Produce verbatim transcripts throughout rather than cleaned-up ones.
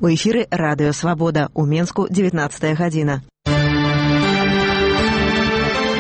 У эфіры радыё «Свабода». У Менску дзевятнаццатая гадзіна.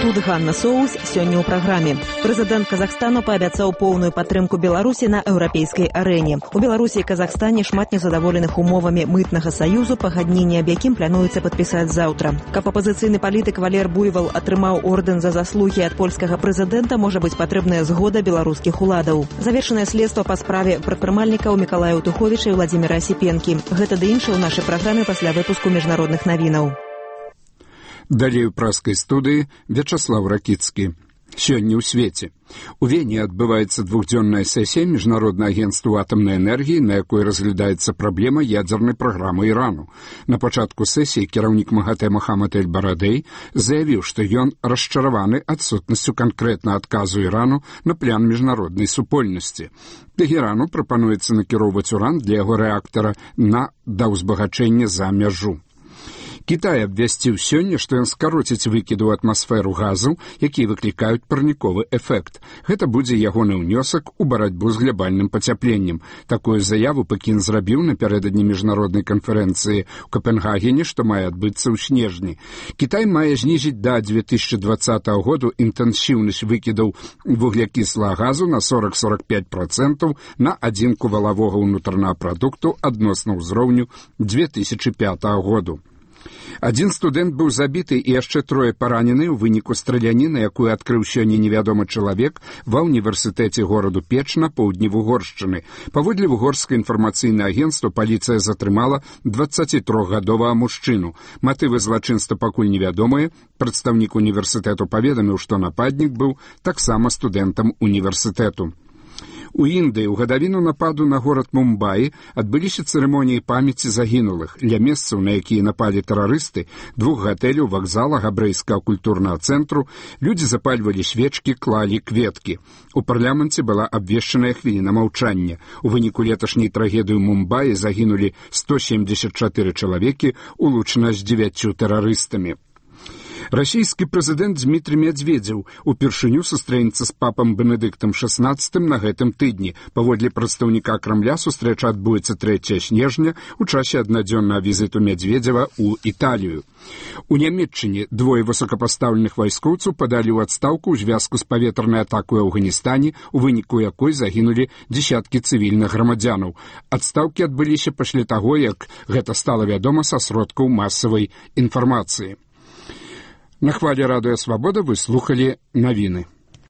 Тут Ганна Соус сёння ў праграме. Прэзідэнт Казахстану паабяцаў поўную падтрымку Беларусі на еўрапейскай арэне. У Беларусі і Казахстане шмат незадаволеных умовамі мытнага саюзу, пагадненне аб якім плануецца падпісаць заўтра. Каб апазіцыйны палітык Валер Буйвал атрымаў ордэн за заслугі ад польскага прэзідэнта, можа быць патрэбная згода беларускіх уладаў. Завершанае следства па справе прадпрымальнікаў Мікалая Утуховіча і Владзіміра Асіпенкі. Гэта ды іншае ў нашай праграме пасля выпуску міжнародных навінаў. Далей у праскай студыі Вячаслав Ракіцкі. Сёння ў свеце. У Вене адбываецца двухдзённая сесія Міжнароднага агенцтва атамнай энергіі, на якой разглядаецца праблема ядзернай праграмы Ірану. На пачатку сесіі кіраўнік МАГАТЭ Мохаммад эль-Барадэй заявіў, што ён расчараваны адсутнасцю канкрэтна адказу Ірану на план міжнароднай супольнасці. Тэхерану прапануецца накіроўваць уран для яго рэактара на даўзбагачэнне за мяжу. Кітай абвясціў сёння, што ён скароціць выкіды ў атмасферу газу, якія выклікаюць парніковы эфект. Гэта будзе ягоны ўнёсак у барацьбу з глябальным пацяпленнем. Такую заяву Пекін зрабіў напярэдадні міжнароднай канферэнцыі ў Капенгагене, што мае адбыцца ў снежні. Кітай мае знізіць да две тысячы дваццатага году інтэнсіўнасць выкідаў вуглякіслага газу на сорок - сорок пяць процентаў на адзінку валавога ўнутранага прадукту адносна ўзроўню две тысячы пятага году. Адзін студэнт быў забіты і яшчэ трое паранены ў выніку страляніны, якую адкрыў сёння невядомы чалавек ва ўніверсітэце гораду Печ на поўдні Вугоршчыны. Паводле вугорскае інфармацыйнае агенцтва паліцыя затрымала дваццацітрохгадовага мужчыну. Матывы злачынства пакуль невядомыя. Прадстаўнік універсітэту паведаміў, што нападнік быў таксама студэнтам універсітэту. У Індыі ў гадавіну нападу на горад Мумбаі адбыліся цырымоніі памяці загінулых. Ля месцаў, на якія напалі тэрарысты, двух гатэляў, вакзала, габрэйскага культурнага цэнтру, людзі запальвалі свечкі, клалі кветкі. У парламенце была абвешчаная хвіліна маўчання. У выніку леташняй трагедыі ў Мумбаі загінулі сто семьдесят чатыры чалавекі, улучана з дзевяццю тэрарыстамі. Расійскі прэзідэнт Дмітрый Медведзеў упершыню сустрэнецца з папам Бенедыктам шаснаццатым на гэтым тыдні. Паводле прадстаўніка Крамля сустрэча адбудзецца трэцяга снежня ў часе аднадзённага візіту Медведзева ў Італію. У Нямецчыне двое высокапастаўленых вайскоўцаў падалі ў адстаўку ў звязку з паветранай атакой у Афганістане, у выніку якой загінулі дзесяткі цывільных грамадзянаў. Адстаўкі адбыліся пасля таго, як гэта стала вядома са сродкаў масавай інфармацыі. На хвале радыё «Свабода» вы слухалі навіны.